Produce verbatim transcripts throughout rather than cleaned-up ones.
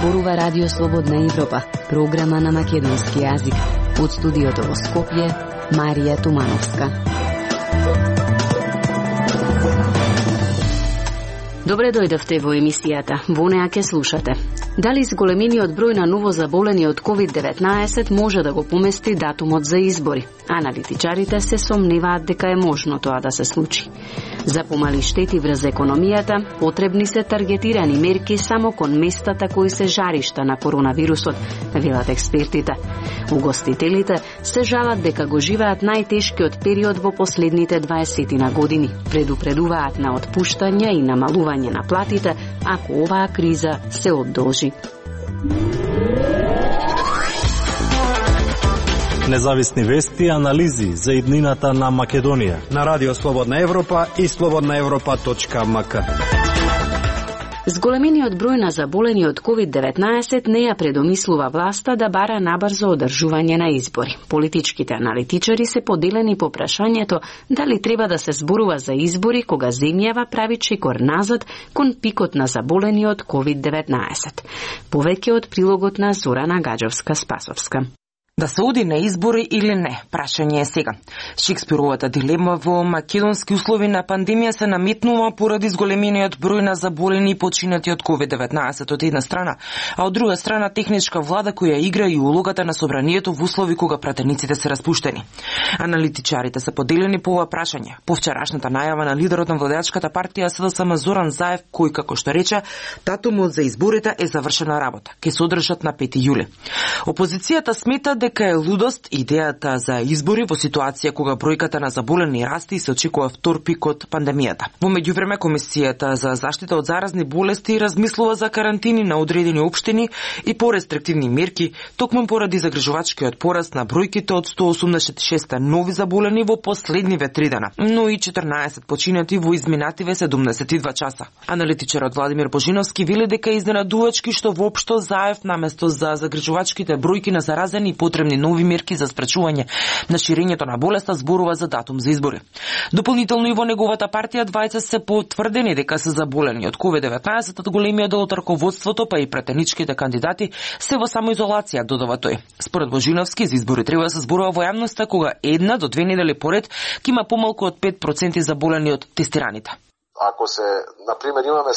зборува Радио Слободна Европа, програма на македонски јазик. Од студиото во Скопје, Марија Тумановска. Добре дојдовте во емисијата. Во неа ке слушате. Дали зголемениот број на ново заболени од ковид деветнаесет може да го помести датумот за избори? Аналитичарите се сомневаат дека е можно тоа да се случи. За помали штети врз економијата, потребни се таргетирани мерки само кон местата кои се жаришта на коронавирусот, велат експертите. Угостителите се жалат дека го живеат најтешкиот период во последните дваесетина години. Предупредуваат на отпуштање и намалување на платите ако оваа криза се одолжи. Независни вести и анализи за иднината на Македонија на Радио Слободна Европа и слободна европа точка ем ка. Зголемениот број на заболени од ковид деветнаесет не ја предомислува власта да бара набрзо одржување на избори. Политичките аналитичари се поделени по прашањето дали треба да се зборува за избори кога земјава прави чекор назад кон пикот на заболени од ковид деветнаесет. Повеќе од прилогот на Зорана Гаджовска-Спасовска. Да се оди на избори или не, прашање е сега. Шекспировата дилема во македонски услови на пандемија се наметнува поради зголемениот број на заболени и починати од ковид деветнаесет од една страна, а од друга страна техничка влада која игра и улогата на собранието во услови кога пратениците се распуштени. Аналитичарите се поделени по ова прашање. По вчерашната најава на лидерот на владеачката партија СДСМ Зоран Заев, кој како што рече, датумот за изборите е завршена работа, ќе се одржат на пети јули. Опозицијата смета дека е лудост идејата за избори во ситуација кога бројката на заболени расте и се очекува втор пик од пандемијата. Во меѓувреме Комисијата за заштита од заразни болести размислува за карантини на одредени општини и порестриктивни мерки, токму поради загрижувачкиот пораст на бројките од сто осумдесет и шест нови заболени во последниве три дена, но и четрнаесет починати во изминативе седумдесет и два часа. Аналитичарот Владимир Божиновски вели дека е изненадувачки што воопшто Заев наместо за загрижувачките бројки на заразени и потребни нови мерки за спречување на ширењето на болеста зборува за датум за избори. Дополнително и во неговата партија двајца се потврдени дека се заболени од ковид деветнаесет, од големиот дел од раководството па и претеничките кандидати се во самоизолација, додава тој. Според Божиновски, за избори треба да се зборува во јавноста кога една до две недели поред ќе има помалку од пет проценти заболени од тестираните. Ако се, например, имаме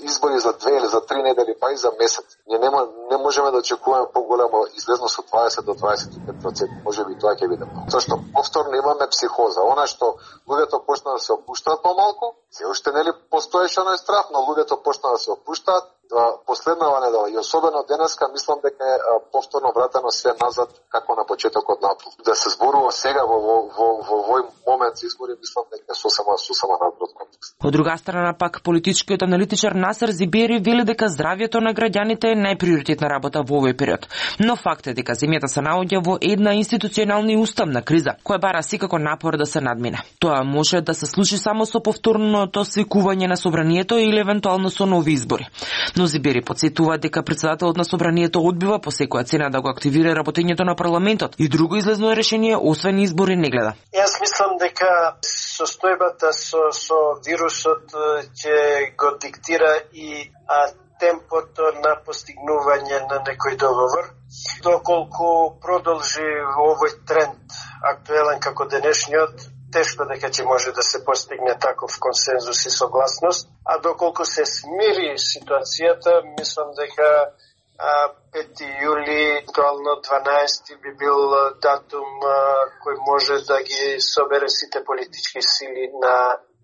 избори за две или за три недели, па и за месец, ние нема, не можеме да очекуваме поголема излезност од дваесет до дваесет и пет проценти. Може би тоа ќе биде. Зашто повторно имаме психоза. Она што луѓето почнаа да се опуштаат помалку, се уште нели постоеше оној страх, но луѓето почнаа да се опуштаат. Последнава недела и особено денеска мислам дека е повторно вратено све назад како на почетокот на април. Да се зборува сега во во во во овој момент за избори мислам дека сосема сосема надвор контекст. Од друга страна пак политичкиот аналитичар Насер Зибери вели дека здравјето на граѓаните е најприоритетна работа во овој период. Но факт е дека земјата се наоѓа во една институционална и уставна криза, која бара секако напор да се надмине. Тоа може да се случи само со повторното свикување на собранието или евентуално со нови избори. Но Зибери подсетува дека председателот на собранието одбива по секоја цена да го активира работењето на парламентот и друго излезно решение освен избори не гледа. Јас мислам дека состојбата со со вирусот ќе го диктира и а, темпото на постигнување на некој договор. Доколку продолжи овој тренд актуелен како денешниот, тешко дека ќе може да се постигне таков консензус и согласност, а доколку се смири ситуацијата, мислам дека пети јули, актуално дванаесети би бил датум кој може да ги собере сите политички сили на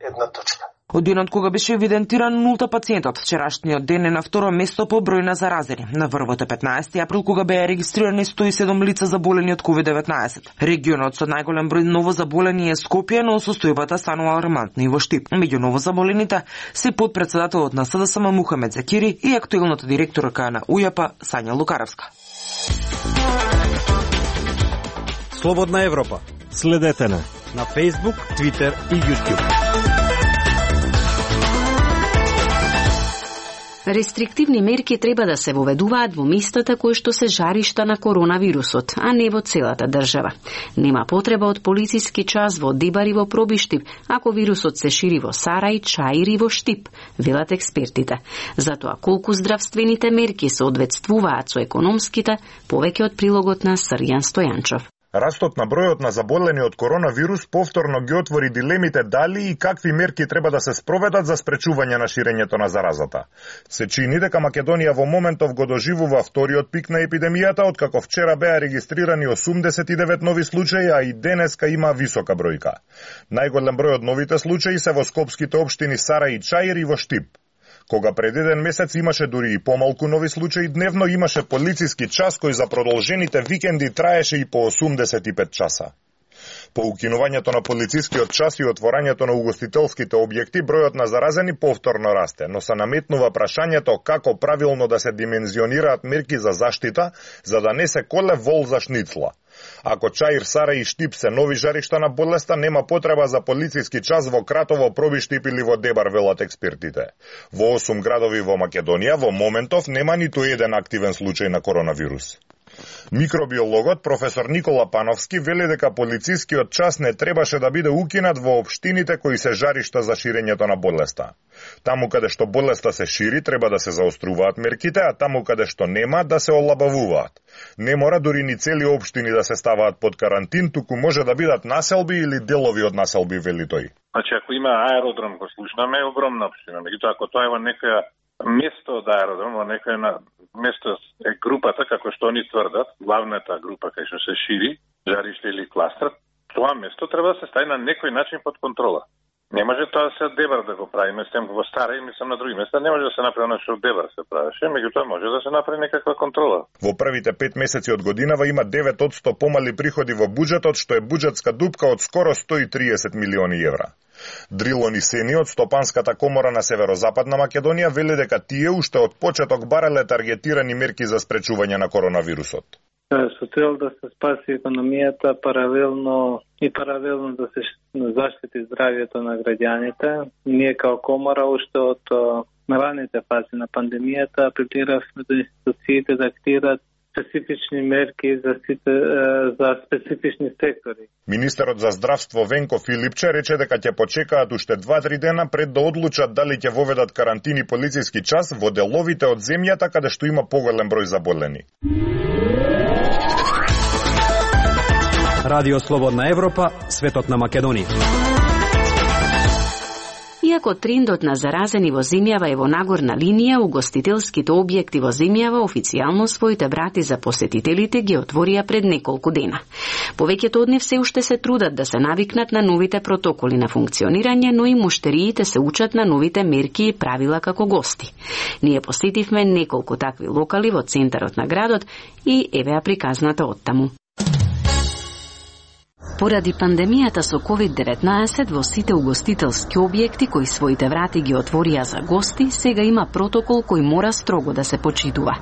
една точка. Од денот кога беше евидентиран нулта пациентот, вчерашниот ден е на второ место по број на заразени. На врвот е петнаесети април кога беа регистрирани сто и седум лица заболени од ковид деветнаесет. Регионот со најголем број ново заболени е Скопје, но состојбата станува алармантна и во Штип. Меѓу ново заболените се потпредседателот на СДСМ Мухамед Закири и актуелната директорка на УЈАП Сања Лукаровска. Слободна Европа. Следете на на Facebook, Twitter и YouTube. Рестриктивни мерки треба да се воведуваат во местата кои што се жаришта на коронавирусот, а не во целата држава. Нема потреба од полициски час во Дебар и во Пробиштип, ако вирусот се шири во Сарај, Чаир и во Штип, велат експертите. Затоа колку здравствените мерки се одветствуваат со економските, повеќе од прилогот на Срјан Стојанчов. Растот на бројот на заболени од коронавирус повторно ги отвори дилемите дали и какви мерки треба да се спроведат за спречување на ширењето на заразата. Се чини дека Македонија во моментов го доживува вториот пик на епидемијата, откако вчера беа регистрирани осумдесет и девет нови случаи, а и денеска има висока бројка. Најголем број од новите случаи се во скопските општини Сарај и Чаир и во Штип. Кога пред еден месец имаше дури и помалку нови случаи дневно, имаше полициски час кој за продолжените викенди траеше и по осумдесет и пет часа. По укинувањето на полицискиот час и отворањето на угостителските објекти, бројот на заразени повторно расте, но се наметнува прашањето како правилно да се димензионираат мерки за заштита, за да не се коле вол за шницла. Ако Чаир, Сарај и Штип се нови жаришта на болеста, нема потреба за полициски час во Кратово, Пробиштип или во Дебар, велат експертите. Во осум градови во Македонија во моментов нема ниту еден активен случај на коронавирус. Микробиологот професор Никола Пановски вели дека полицискиот час не требаше да биде укинат во општините кои се жаришта за ширењето на болеста. Таму каде што болеста се шири, треба да се заоструваат мерките, а таму каде што нема, да се олабавуваат. Не мора дури ни цели општини да се ставаат под карантин, туку може да бидат населби или делови од населби, вели тој. Значи, ако има аеродром, го слушнаме, е огромна општина. Меѓутоа, ако тоа е во некоја место од аеродром, во некоја на место е групата, како што они тврдат, главната група кај што се шири, жариште или кластер, тоа место треба да се стави на некој начин под контрола. Не може тоа да се Дебар да го прави, мислам во Старај, мислам на други места, не може да се направи на што Дебар се правеше, меѓутоа може да се направи некаква контрола. Во првите пет месеци од годинава има девет одсто помали приходи во буџетот, што е буџетска дупка од скоро сто и триесет милиони евра. Дрилон и Сени од Стопанската комора на Северозападна Македонија вели дека тие уште од почеток барале таргетирани мерки за спречување на коронавирусот. Со цел да се спаси економијата паралелно и паралелно да се заштити здравјето на граѓаните, ние као комора уште од раните фази на пандемијата апелиравме до институциите да активираат специфични мерки за, за специфични сектори. Министерот за здравство Венко Филипче рече дека ќе почекаат уште два-три дена пред да одлучат дали ќе воведат карантини полициски час во деловите од земјата каде што има поголем број заболени. Радио Слободна Европа, светот на Македонија. Иако трендот на заразени во земјава е во нагорна линија, угостителските објекти во земјава официјално своите врати за посетителите ги отворија пред неколку дена. Повеќето од нив се уште се трудат да се навикнат на новите протоколи на функционирање, но и муштериите се учат на новите мерки и правила како гости. Ние посетивме неколку такви локали во центарот на градот и еве ја приказната оттаму. Поради пандемијата со ковид деветнаесет во сите угостителски објекти кои своите врати ги отворија за гости, сега има протокол кој мора строго да се почитува.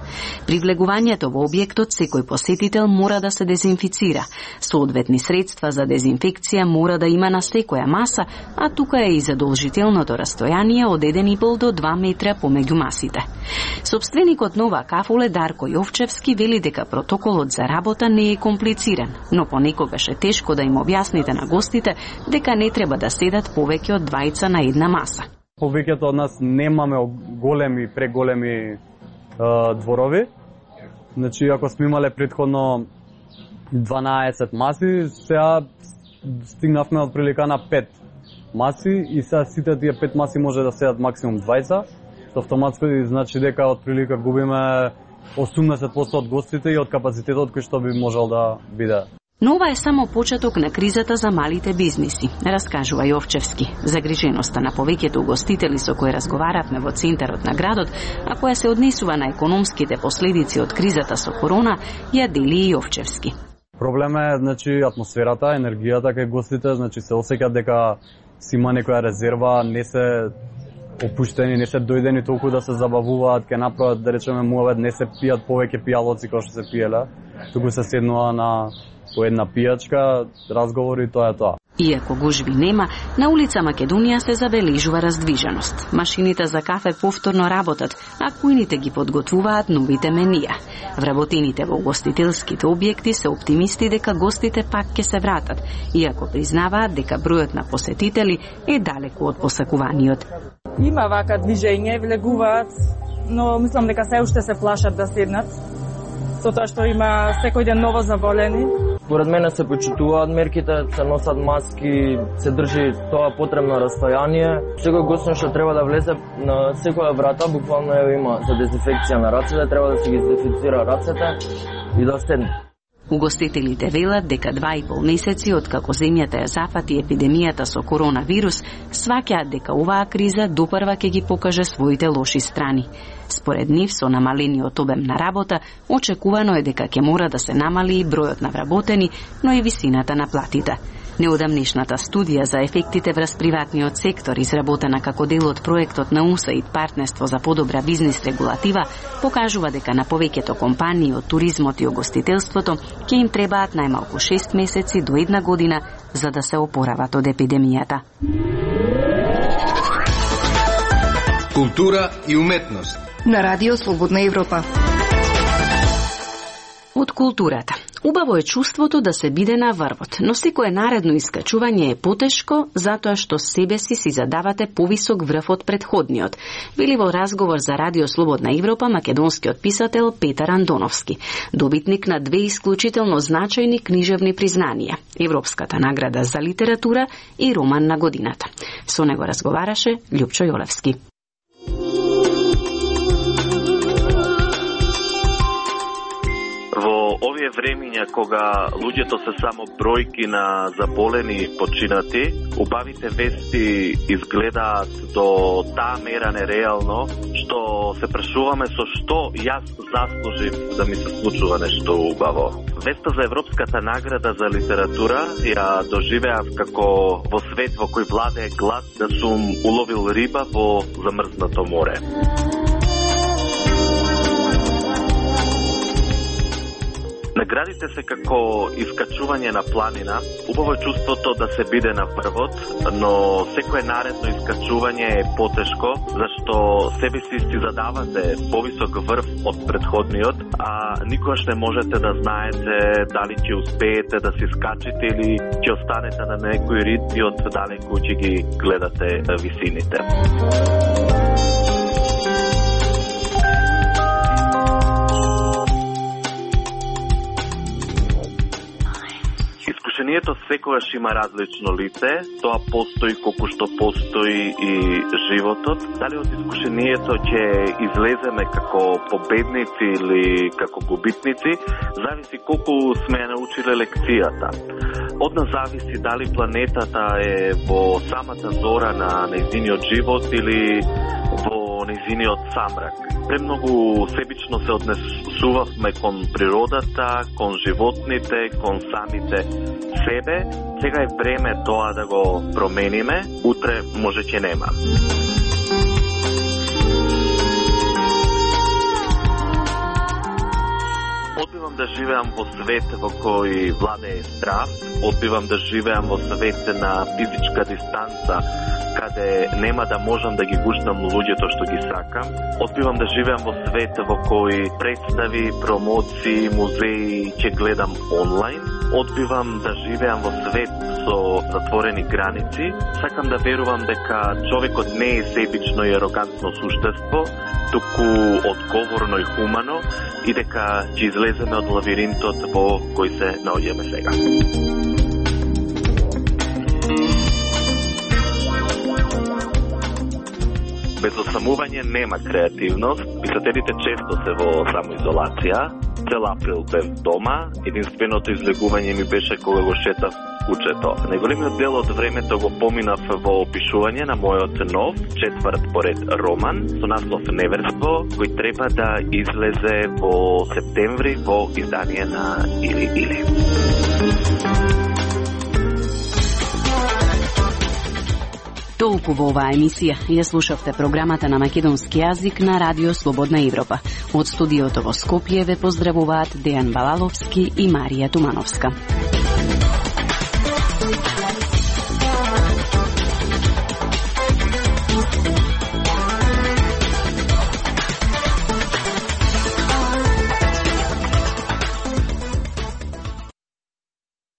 При влегувањето во објектот секој посетител мора да се дезинфицира. Соодветни средства за дезинфекција мора да има на секоја маса, а тука е и задолжителното растојание од еден и пол до два метра помеѓу масите. Собственикот на оваа кафуле Дарко Јовчевски вели дека протоколот за работа не е комплициран, но понекогаш е тешко да им објасните на гостите дека не треба да седат повеќе од двајца на една маса. Повеќето од нас немаме големи, преголеми е, дворови. Значи, ако сме имале претходно дванаесет маси, сега стигнавме од прилика на пет маси и сега сите тие пет маси може да седат максимум двајца. Со автоматско значи дека од прилика губиме осумдесет проценти од гостите и од капацитетот кој што би можел да биде. Но ова е само почеток на кризата за малите бизниси, раскажува Јовчевски. Загриженоста на повеќето угостители со кои разговаравме во центарот на градот, а која се однесува на економските последици од кризата со корона, ја дели и Јовчевски. Проблем е, значи, атмосферата, енергијата кај гостите, значи се осеќаат дека си има некоја резерва, не се опуштени, не се дојдени толку да се забавуваат, ке направат, да речеме, муавет, не се пијат повеќе пијалоци како што се пиеле, туку се седнува на по една пијачка, разговори, тоа е тоа. Иако гужви нема, на улица Македонија се забележува раздвиженост. Машините за кафе повторно работат, а кујните ги подготвуваат новите менија. Вработените во угостителските објекти се оптимисти дека гостите пак ќе се вратат, иако признаваат дека бројот на посетители е далеку од посакуваниот. Има вака движење, влегуваат, но мислам дека се уште се плашат да седнат, со тоа што има секој ден ново заболени. Според мене се почитуваат мерките, се носат маски, се држи тоа потребно расстојание. Секој гост што треба да влезе на секоја врата, буквално има за дезинфекција на рацете, треба да се ги дезинфицира рацете и да седне. Угостителите велат дека два и пол месеци откако земјата ја зафати епидемијата со коронавирус, сваќаат дека оваа криза допрва ќе ги покаже своите лоши страни. Според нив, со намалениот обем на работа, очекувано е дека ќе мора да се намали и бројот на вработени, но и висината на платите. Неодамнешната студија за ефектите врз приватниот сектор, изработена како дел од проектот на у ес ей ай ди Партнерство за подобра бизнис регулатива, покажува дека на повеќето компании од туризмот и угостителството ќе им требаат најмалку шест месеци до една година за да се опорават од епидемијата. Култура и уметност на Радио Слободна Европа. Од културата. Убаво е чувството да се биде на врвот, но секое наредно искачување е потешко затоа што себе си си задавате повисок врв од предходниот, вели во разговор за Радио Слободна Европа македонскиот писател Петар Андоновски, добитник на две исклучително значајни книжевни признанија – Европската награда за литература и Роман на годината. Со него разговараше Љупчо Јолевски. Во овие времиња кога луѓето се само бројки на заболени и починати, убавите вести изгледаат до таа мера нереално, што се прашуваме со што јас заслужив да ми се случува нешто убаво. Веста за Европската награда за литература ја доживеав како во свет во кој владее глад да сум уловил риба во замрзнато море. Наградите се како искачување на планина. Убаво е чувството да се биде на врвот, но секое наредно искачување е потешко, зашто себе си си задавате повисок врв од предходниот, а никогаш не можете да знаете дали ќе успеете да си скачите или ќе останете на некој рид и од далеку ќе ги гледате висините. Искушението секогаш има различно лице, тоа постои колку што постои и животот. Дали од искушението ќе излеземе како победници или како губитници, зависи колку сме ја научиле лекцијата. Од нас зависи дали планетата е во самата зора на нејзиниот живот или во нејзиниот самрак. Премногу себично се однесувавме кон природата, кон животните, кон самите себе. Сега е време тоа да го промениме, утре може ќе нема. Одбивам да живеам во свет во кој владее страв, одбивам да живеам во свет на физичка дистанца, каде нема да можам да ги гушнам луѓето што ги сакам. Одбивам да живеам во свет во кој представи, промоции, музеи ќе гледам онлайн. Одбивам да живеам во свет со затворени граници. Сакам да верувам дека човекот не е себично и арогантно суштество, туку одговорно и хумано, и дека ќе излеземе од лавиринтот во кој се наоѓаме сега. Без осамување нема креативност. Писателите често се во самоизолација. Цел април бев дома. Единственото излегување ми беше кога го шетав кучето. Најголемиот дел од времето го поминав во опишување на мојот нов, четврт поред роман со наслов Неверство, кој треба да излезе во септември во издание на Или Или. Толку во оваа емисија. Ја слушавте програмата на македонски јазик на Радио Слободна Европа. Од студиото во Скопје ве поздравуваат Дејан Балаловски и Марија Тумановска.